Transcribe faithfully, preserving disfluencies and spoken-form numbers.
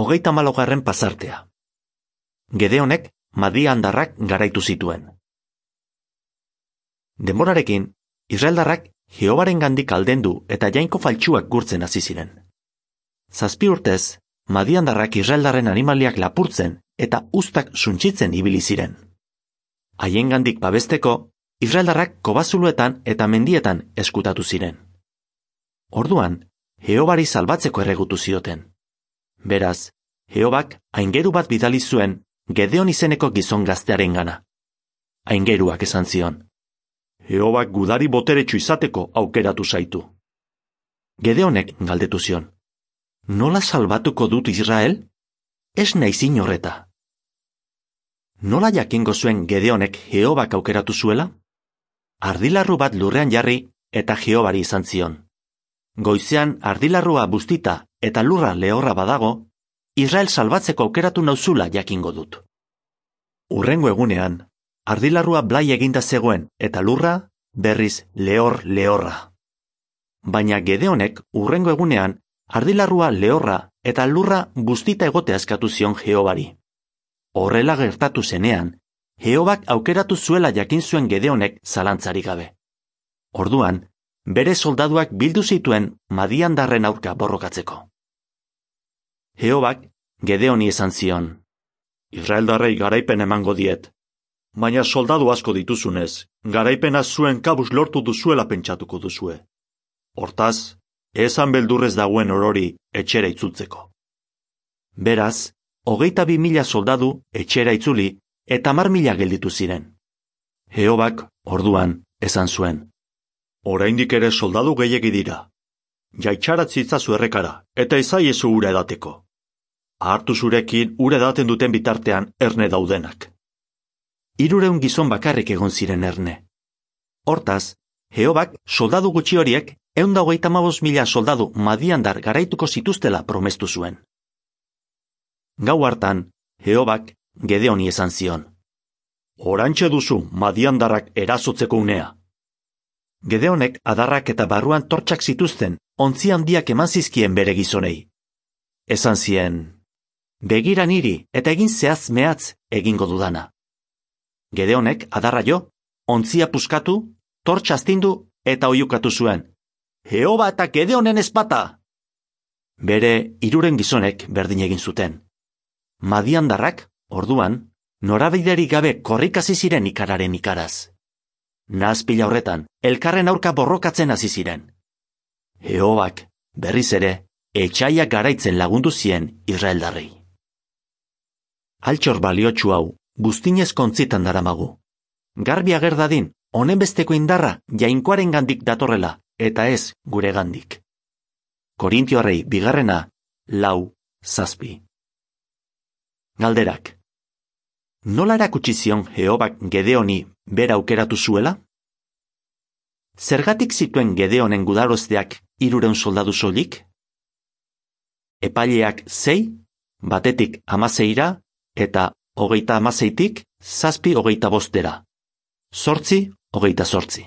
hogeita hamalaugarren pasartea. Gedeonek madiandarrak garaitu zituen. Denborarekin, Israeldarrak Jehobarengandik aldendu eta jainko faltsuak gurtzen hasi ziren. Zazpi urtez, madiandarrak Israeldarren animaliak lapurtzen eta uztak suntsitzen ibili ziren. Haiengandik babesteko, Israeldarrak kobazuluetan eta mendietan eskutatu ziren. Orduan, Jehobari salbatzeko erregutu zioten. Beraz, Jehobak aingeru bat bidali zuen Gedeon izeneko gizon gaztearen gana. Aingeruak esan zion: Jehobak gudari boteretsu izateko aukeratu zaitu. Gedeonek galdetu zion: Nola salbatuko dut Israel? Ez naiz inorreta. Nola jakingo zuen Gedeonek Jehobak aukeratu zuela? Ardilarru bat lurrean jarri eta Jehobari izan zion: Goizean ardilarrua bustita eta lurra lehorra badago, Israel salbatzeko aukeratu nauzula jakingo dut. Hurrengo egunean, ardilarrua blai eginda zegoen eta lurra berriz lehor lehorra. Baina Gedeonek hurrengo egunean ardilarrua lehorra eta lurra bustita egotea eskatu zion Jehobari. Horrela gertatu zenean, Jehobak aukeratu zuela jakin zuen Gedeonek zalantzarik gabe. Orduan, bere soldaduak bildu zituen madiandarren aurka borrokatzeko. Jehobak Gedeoni esan zion: Israeldarrei garaipen emango diet, baina soldadu asko dituzunez, garaipena zuen kabuz lortu duzuela pentsatuko duzue. Hortaz, esan beldurrez dagoen orori etxera itzultzeko. Beraz, hogeita bi mila soldadu etxera itzuli eta hamar mila gelditu ziren. Jehobak orduan esan zuen: Oraindik ere soldadu gehiegi dira. Jaitxaratz itzazu errekara eta ezaiezu ura edateko. Hartu zurekin ura edaten duten bitartean erne daudenak. Hirureun gizon bakarrik egon ziren erne. Hortaz, Jehobak soldadu gutxi horiek ehun eta hogeita hamabost mila soldadu madiandar garaituko zituztela promestu zuen. Gau hartan, Jehobak Gedeoni esan zion: Orantxe duzu madiandarrak erasotzeko unea. Gedeonek adarrak eta barruan tortxak zituzten ontzi handiak eman zizkien bere gizonei. Esan zien: Begira niri eta egin zehaz mehatz egingo dudana. Gedeonek adarra jo, ontzia puskatu, tortxa astindu eta oiukatu zuen: Jehova eta Gedeonen ezpata! Bere hiruren gizonek berdin egin zuten. Madiandarrak, orduan, norabiderik gabe korrikasi ziren ikararen ikaraz. Nahazpila horretan, elkarren aurka borrokatzen hasi ziren. Jehobak, berriz ere, etxaiak garaitzen lagundu zien Israeldarrei. Altxor baliotsu hau, buztinez kontzitan daramagu. Garbi ager dadin, honen besteko indarra jainkoaren gandik datorrela, eta ez gure gandik. Korintioarrei bigarrena, lau, zazpi. Galderak. Nola erakutsi zion Jehobak Gedeoni bera aukeratu zuela? Zergatik zituen Gedeonen gudarozteak hirureun soldadu soilik? Epaileak sei, batetik hamaseira, eta hogeita hamaseitik zazpi hogeita bostera. Zortzi, hogeita zortzi.